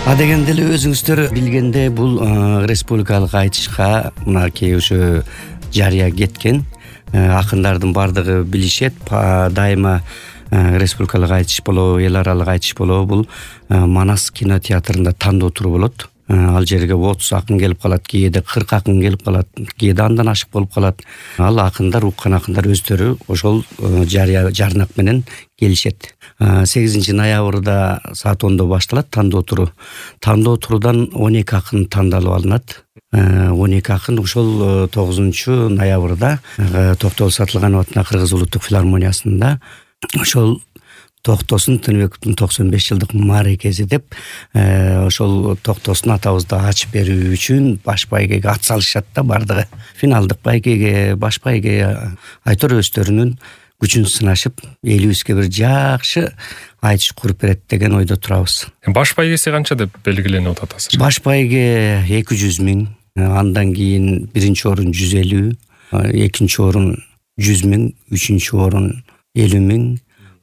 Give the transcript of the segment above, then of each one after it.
Дегенде эле өзүңүздөр билгендей бул республикалык айтышка мынакей ошо жарыя кеткен акындардын баардыгы билишет. Дайыма республикалык айтыш болобу, эл аралык айтыш болобу, бул Манас кинотеатрында тандоо туру болот. Ал жерге 30 акын келип калат, кээде 40 акын келип калат, кээде андан ашык болуп калат. Ал акындар, уккан акындар өздөрү ошол жарнак менен келишет. 8 ноябрда саат 10 башталат тандоо туру. Тандоо турудан 12 акын тандалып алынат. 12 акын ошол 9 ноябрда Токтогул Сатылганов атындағы Кыргыз улуттук филармониясында ошол Токтосун Тыныбековдун 95 жылдык мааракеси деп ошол Токтосун атабызды ачып берүү үчүн баш байгеге ат салышат да бардыгы. Финалдык байгеге, баш байге айтор өздөрүнүн күчүн сынашып, элибизге бир жакшы айтыш куруп берет деген ойдо турабыз. Баш байгеси канча деп белгиленип атат азыр? Баш байге 200 миң, андан кийин биринчи орун 150, экинчи орун 100 миң, үчүнчү орун 50 миң,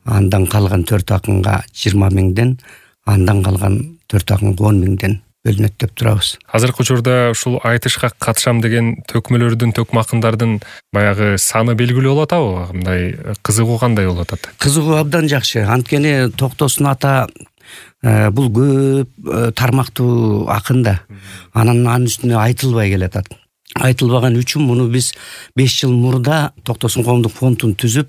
андан калган 4 акынга 20 миңден, андан калган 4 акынга 10 миңден бөлүнөт деп турабыз. Азыркы учурда ушул айтышка катышам деген төкмөлөрдүн, төкмө акындардын баягы саны белгилүү болуп атабы? Мындай кызыгуу кандай болуп атат? Кызыгуу абдан жакшы. Анткени Токтосун ата бул көп тармактуу акын да. Анын үстүнө айтылбай келатат. Айтылбаган үчүн муну биз 5 жыл мурда Токтосун коомдук фондун түзүп,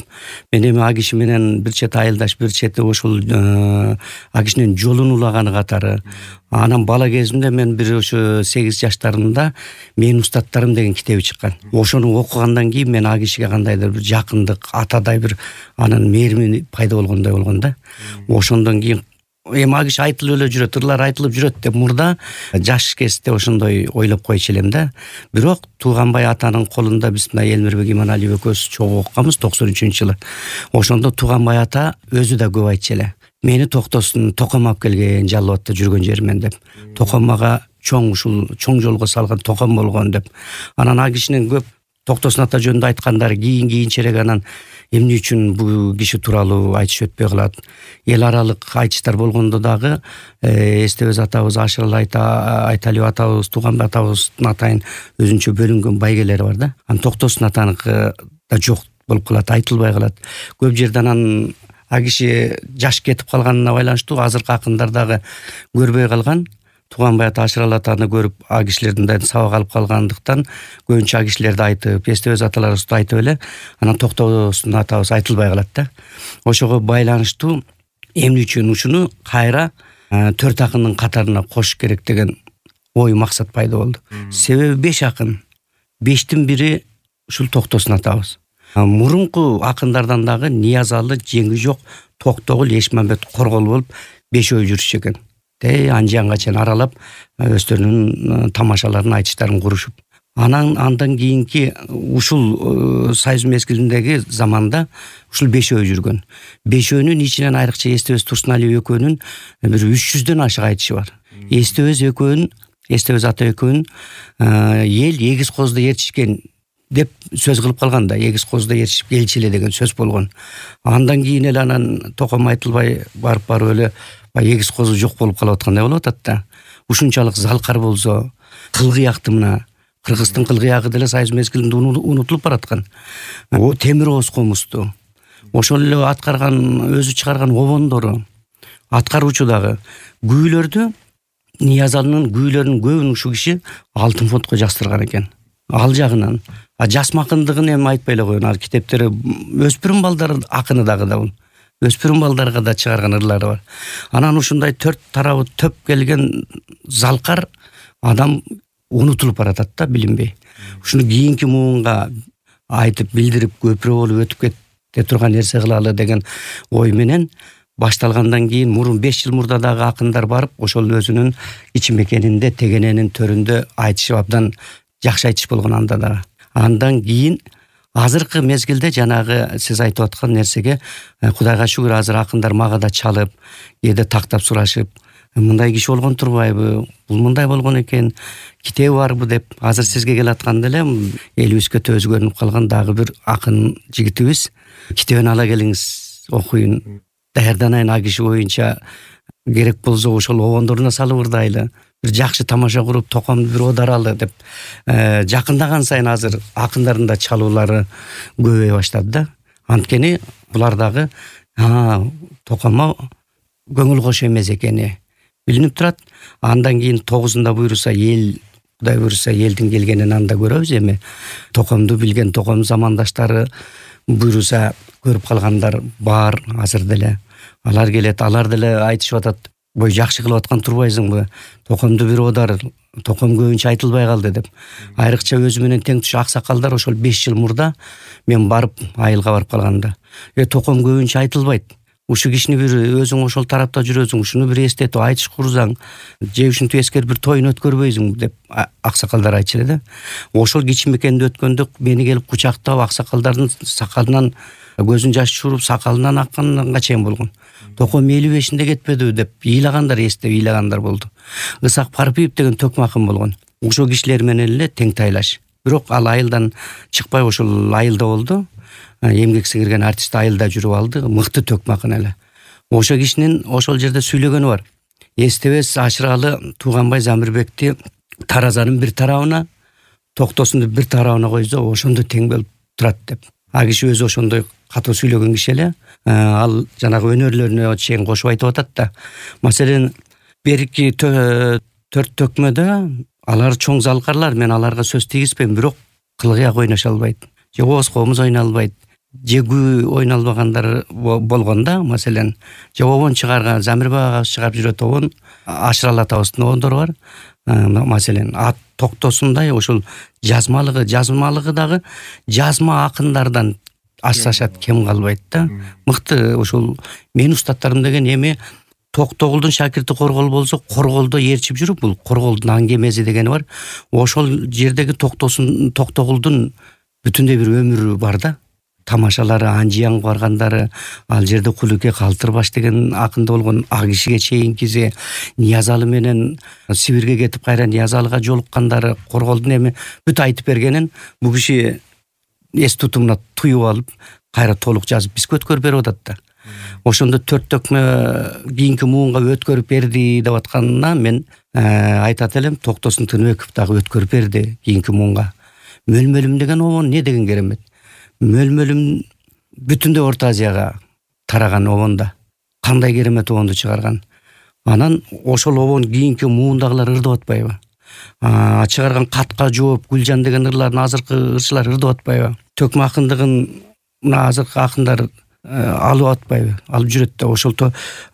мен эми а киши менен бир чет айылдаш, бир чети ошол а кишинин жолун улаганы катары. Анан бала кезимде мен бир ошо 8 жаштарымда Менин устаттарым деген китеби чыккан. Ошону окугандан кийин мен а кишиге кандайдыр бир жакындык, атадай бир анын мээрими пайда болгондой болгон да. Ошондон кийин эми а киши айтылып эле жүрөт, ырлар айтылып жүрөт деп мурда жаш кезде ошондой ойлоп койчу элем да. Бирок Тууганбай атанын колунда биз мына Элмирбек Иманалиев экөөбүз чогуу окуганбыз 93-жылы. Ошондо Тууганбай ата өзү да көп айтчу эле. Мени Токтосун током алып келген Жалал-Абадта жүргөн жеримен деп. Токомага чоң жолго салган током болгон деп. Анан а кишинин көп Токтосун ата жөнүндө айткандары кийинчерээк анан эмне үчүн бул киши тууралуу айтыш өтпөй калат. Эл аралык айтыштар болгондо дагы Эстебес атабыз, Ашырал Айталиев атабыз, Тууганбай атабыздын атайын өзүнчө бөлүнгөн байгелери бар да. Анан Токтосун атаныкы да жок болуп калат, айтылбай калат. Көп жерде анан а киши жаш кетип калганына байланыштуу азыркы акындар дагы көрбөй калган. Тууганбай ата, Ашырал атаны көрүп а кишилерден сабак алып калгандыктан көбүнчө а кишилерди айтып, Эстебес аталарыбызды айтып эле, анан Токтосун атабыз айтылбай калат да. Ошого байланыштуу эмне үчүн ушуну кайра 4 акындын катарына кошуш керек деген ой максат пайда болду. Себеби 5 акын, 5тин бири ушул Токтосун атабыз. Мурунку акындардан дагы Ниязалы, Жеңи жок, Токтогул, Эшмамбет, Коргол болуп 5 жүрүшчү экен. Анжанга чейин аралап өздөрүнүн тамашаларын, айтыштарын курушуп. Андан кийинки ушул союз мезгилиндеги заманда ушул 5 жүргөн. 5нүн ичинен айрыкча Эстебес Турсуналиев экөөнүн бир 300дөн ашык айтышы бар. Эстебес ата экөөнүн эл эгиз козду ээрчишкен деп сөз кылып калган да, эгиз козду ээрчишип келчи эле деген сөз болгон. Андан кийин эле анан током айтылбай барып эле эгиз козу жок болуп калып аткандай болуп атат да. Ушунчалык залкар болсо, кылгыякты мына Кыргыздын кылгыягы деле союз мезгилинде унутулуп бараткан. Темир Ооз комузду, ошол эле аткарган, өзү чыгарган обондору, аткаруучу дагы күүлөрдү, Ниязалынын күүлөрүнүн көбүн ушул киши алтын фондко жаздырган экен. Ал жагынан жасмакындыгын эми айтпай эле коеюн. Ал китептери өспүрүм балдар акыны дагы да бул. Өспүрүм балдарга да чыгарган ырлары бар. Анан ушундай 4 тарабы төп келген залкар адам унутулуп баратат да, билинбей. Ушуну кийинки муунга айтып, билдирип, көпүрө болуп өтүп кете турган нерсе кылалы деген ой менен башталгандан кийин мурун 5 жыл мурда дагы акындар барып, ошол өзүнүн ичи мекенинде, тегененин төрүндө айтышып абдан жакшы айтыш болгон анда дагы. Андан кийин азыркы мезгилде жанагы сиз айтып аткан нерсеге Кудайга шүгүр азыр акындар мага да чалып, кээде тактап сурашып, мындай киши болгон турбайбы, бул мындай болгон экен, китеби барбы деп азыр сизге келатканда эле элибизге төз көрүнүп калган дагы бир акын жигитибиз. Китебин ала келиңиз, окуйун, даярданайын а киши боюнча керек болсо ошол обондоруна салып ырдайлы, бир жакшы тамаша куруп токомду бир одаралы деп жакындаган сайын азыр акындардын да чалуулары көбөйө баштады да. Анткени булар дагы токомго көңүл кош эмес экени билинип турат. Андан кийин 9-унда буйруса эл, Кудай буйруса элдин келгенин анда көрөбүз. Эми токомду билген током замандаштары буйруса көрүп калгандар бар азыр деле. Алар келет, алар деле айтышып атат, бой жакшы кылып аткан турбайсыңбы, токомду бир одар, током көбүнчө айтылбай калды деп. Айрыкча өзү менен тең туш аксакалдар ошол 5 жыл мурда мен барып айылга барып калганда, током көбүнчө айтылбайт. Ушу кишини бир өзүң ошол тарапта жүрөсүң, ушуну бир эстетип айтыш курсаң, же ушинтип эскер бир тоюн өткөрбөйсүң деп аксакалдар айтчу эле да. Ошол кичимекенди өткөндө мени келип кучактап аксакалдардын сакалынан көзүн жаш чууруп, сакалынан акканга чейин болгон. Током 55-инде кетпедиби деп ыйлагандар, эстеп ыйлагандар болду. Ысак Парпиев деген төкмакын болгон. Ошол кишилер менен эле тең тайлаш. Бирок ал айылдан чыкпай ошол айылда болду. Эмгек сиңирген артист айылда жүрүп алды, мыкты төкмакын эле. Ошол кишинин ошол жерде сүйлөгөнү бар. Эстебес Ашыралы Тууганбай Замирбекти таразанын бир тарабына, Токтосунду бир тарабына койсо, ошондо тең болуп турат деп. Киши өзү ошондой катуу сүйлөгөн киши эле. Ал жанагы өнөрлөрүнө чейин кошуп айтып атат да. Маселен, берки 4 төкмөдө алар чоң залкарлар, мен аларга сөз тийгизбейм, бирок кылгыяк ойношо албайт. Же ооз комуз ойналбайт, же күү ойналбагандар болгондо, маселен, же обон чыгарган, Замирбек агабыз чыгарып жүрөт обон, Ашыралы атабыздын обондору бар. Маселен, Токтосундай ошол жазмалыгы дагы жазма акындардан асташат кем калбайт да. Мыкты ошол менин устаттарым деген эми Токтогулдун шакирти Коргол болсо, Корголдо ээрчип жүрүп, бул Корголдун аңгемеси дегени бар. Ошол жердеги Токтогулдун бүтүндөй бир өмүрү бар да. Тамашалары, Анжиян баргандары, ал жерде Кулуке Калтырбаш деген акында болгон, Кишиге чейинкиси, Ниязалы менен Сибирге кетип кайра Ниязалыга жолуккандары, Корголдун эми бүт айтып бергенин бул киши эс тутумуна туюп алып, кайра толук жазып бизге өткөрүп берип атат да. Ошондо 4 төкмө кийинки муунга өткөрүп берди деп атканына мен айтат элем, Токтосун Тыныбеков дагы өткөрүп берди кийинки муунга. Мөлмөлүм деген обон не деген керемет. Мөлмөлүм бүтүндөй Орто Азияга тараган обонда. Кандай керемет обонду чыгарган. Анан ошол обон кийинки муундагылар ырдап атпайбы? Чыгарган Катка жооп, Гүлжан деген ырлардын азыркы ырчылар ырдап атпайбы? Төкмө акындыгын мына азыркы акындар алып атпайбы? Алып жүрөт да. Ошол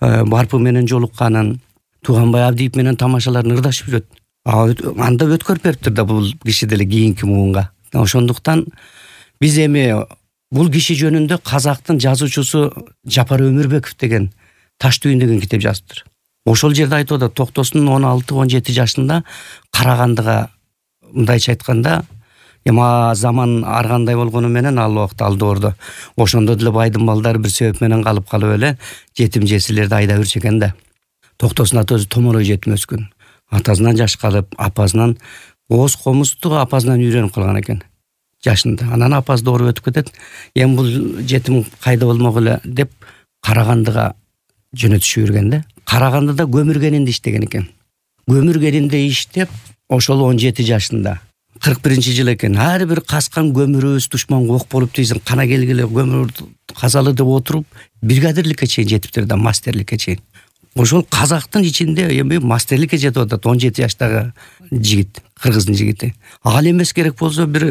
Барпы менен жолукканын, Тууганбай Абдиев менен тамашаларын ырдашып жүрөт. Анда өткөрүп бериптир да бул киши деле кийинки муунга. Ошондуктан биз эми бул киши жөнүндө казактын жазуучусу Жапар Өмүрбеков деген Таш түйүн деген китеп жазыптыр. Ошол жерде айтып атат, Токтосун 16-17 жашында Карагандыга, мындайча айтканда, эми заман ар кандай болгону менен ал убакта ал доордо ошондо деле байдын балдары бир себеп менен калып эле жетим жесирлерди айдап жүрчү экен да. Токтосун ата өзү томорой жетим өскөн. Атасынан жаш калып, апасынан ооз комузду апасынан үйрөнүп калган экен жашында. Анан апасы доору өтүп кетет. Эми бул жетим кайда болмок эле деп Карагандыга жөнөтүшүп жүргөн да. Карагандыда көмүргенинде иштеген экен. Көмүргенинде иштеп, ошол 17 жашында 41-жыл экен. Ар бир каскан көмүрүбүз душманга ок болуп тийсин, кана келгиле көмүр казалы деп отуруп, бригадирликке чейин жетиптир да, мастерликке чейин. Ошол казактын ичинде эми мастерликке жетип атат 17 жаштагы жигит, кыргыздын жигити. Ал эмес керек болсо бир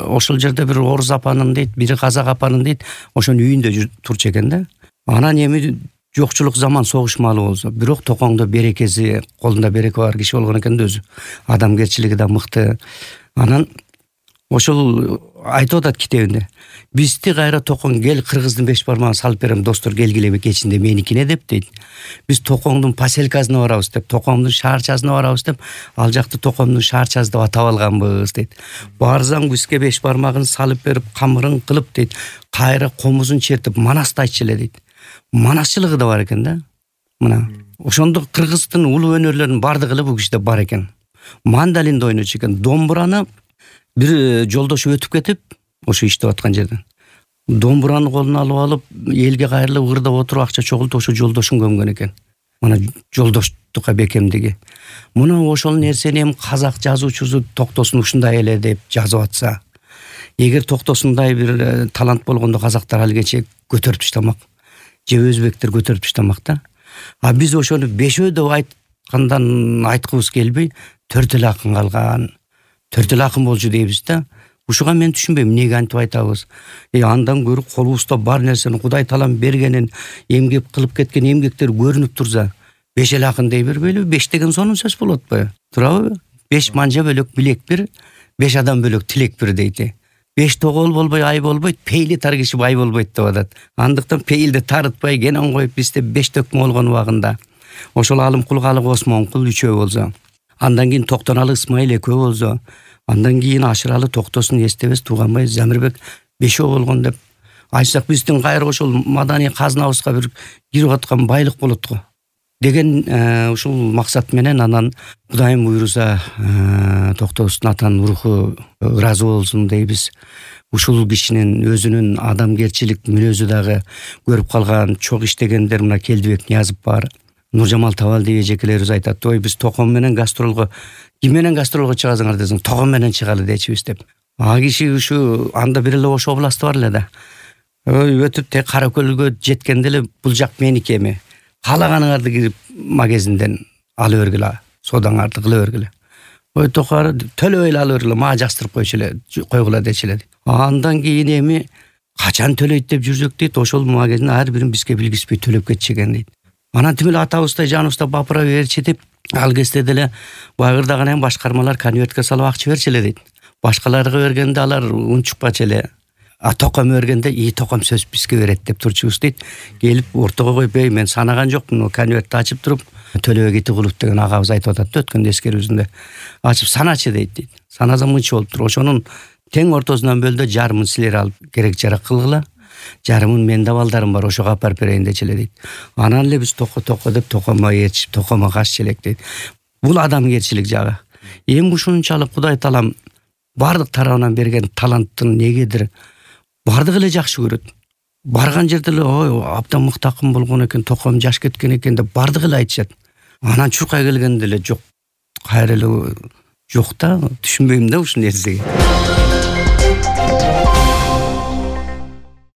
ошол жерде бир орус апанын дейт, бири казак апанын дейт, ошонун үйүндө турчу экен да. Анан эми жокчулук заман согушмалуу болсо, бирок токоңдо берекеси, колунда береке бар киши болгон экен да өзү. Адамгерчилиги да мыкты. Анан ошол айтып атат китебинде. Бизди кайра токоң кел кыргыздын 5 бармагын салып берем, достор келгиле кечинде меникине деп дейт. Биз токоңдун поселкасына барабыз деп, токоңдун шаарчасына барабыз деп, ал жакты токоңдун шаарчасы деп атап алганбыз дейт. Барсаң бизге 5 бармагын салып берип, камырын кылып дейт, кайра комузун чертип манасты айтчу эле дейт. Манасчылыгы да бар экен да. Мына ошондо кыргыздын улуу өнөрлөрүнүн бардыгы эле бул кишиде бар экен. Мандалинде ойночу экен. Домбураны бир жолдошу өтүп кетип, ошо иштеп аткан жерден домбураны колуна алып элге кайрылып ырдап отуруп акча чогултуп ошо жолдошун көмгөн экен. Мына жолдоштукка бекемдиги. Мына ошол нерсени эми казак жазуучусу Токтосун ушундай эле деп жазып атса, эгер Токтосундай бир талант болгондо казактар алгече көтөрүп таштамак, же өзбектер көтөрүп таштамак да. А биз ошону бешөө деп айткандан айткыбыз келбей, 4 эле акын калган, 4 эле акын болчу дейбиз да. Ушуга мен түшүнбөйм, эмнеге антип айтабыз? Андан көрүп колубузда бар нерсени Кудай таалам бергенин, эмгек кылып кеткен эмгектер көрүнүп турса, 5 эле акын дей бербейлиби? 5 деген сонун сөз болот атпайбы? Туурабы? 5 манжа бөлөк билек бир, 5 адам бөлөк тилек бир дейти. 5 тогол болбой ай болбойт, пейли таргышып ай болбойт деп атат. Андыктан пейилди тарытпай кенен коюп бизде 5 төкмө болгон убагында ошол Алымкул Калык Осмонкул 3 болсо, андан кийин Токтоналы Ысмайыл 2 болсо, андан кийин Ашыралы Токтосун эстебес Тууганбай Замирбек 5 болгон деп айтсак, биздин кайра ошол маданий казнабызга бир кирип аткан байлык болот го деген ушул максат менен анан Кудайым буйруса Токтосун атанын руху ыраазы болсун дейбиз. Ушул кишинин өзүнүн адамгерчилик мүнөзү дагы көрүп калган чок иштегендер мына Келдибек Ниязов бар, Нуржамал Табалдиев эжекелерибиз айтат, ой биз Током менен гастролго, ким менен гастролго чыгасыңар десең, Током менен чыгалы дечүбүз деп. А киши ушу анда бир эле Ош областы бар эле да. Ой өтүп тек Каракөлгө жеткенде эле бул жак меники эми. Каалаганыңарды кирип магазинден ала бергиле, содаңарды кыла бергиле. Ой токары төлөп эле ала бергиле, мага жастырып койгула дечиле. Андан кийин эми качан төлөйт деп жүрсөк дейт, ошол магазин ар бирин бизге билгизбей төлөп кетчү экен дейт. Анан тим эле атабыздай жаныбызда бапыра берчи деп, ал кезде деле байырдаган башкармалар конвертке салып акча берчиле дейт. Башкаларга бергенде алар унчукпачу эле. А Током бергенде Током сөз бизге берет деп турчубуз дейт. Келип ортого коюп, мен санаган жокмун, конвертти ачып туруп, Төлөбек Итигулов деген агабыз айтып атат да өткөн эскерүүсүндө. Ачып саначы дейт. Санасам мынча болуп тур. Ошонун тең ортосунан бөлдө жарымын силер алып керек жарак кылгыла. Жарымын мен да балдарым бар, ошого апарып берейин дечиле дейт. Анан эле биз токо деп Токомго ээрчип, Токомго каш элек дейт. Бул адамгерчилик жагы. Эми ушунчалык Кудай таалам бардык тарабынан берген таланттын негедир бардык эле жакшы көрөт. Барган жерде эле ой абдан мыкты акын болгон экен, Током жаш кеткен экен деп бардык эле айтышат. Анан чуркай келгенде эле жок, кайра эле жок да, түшүнбөйм да ушул нерсеге.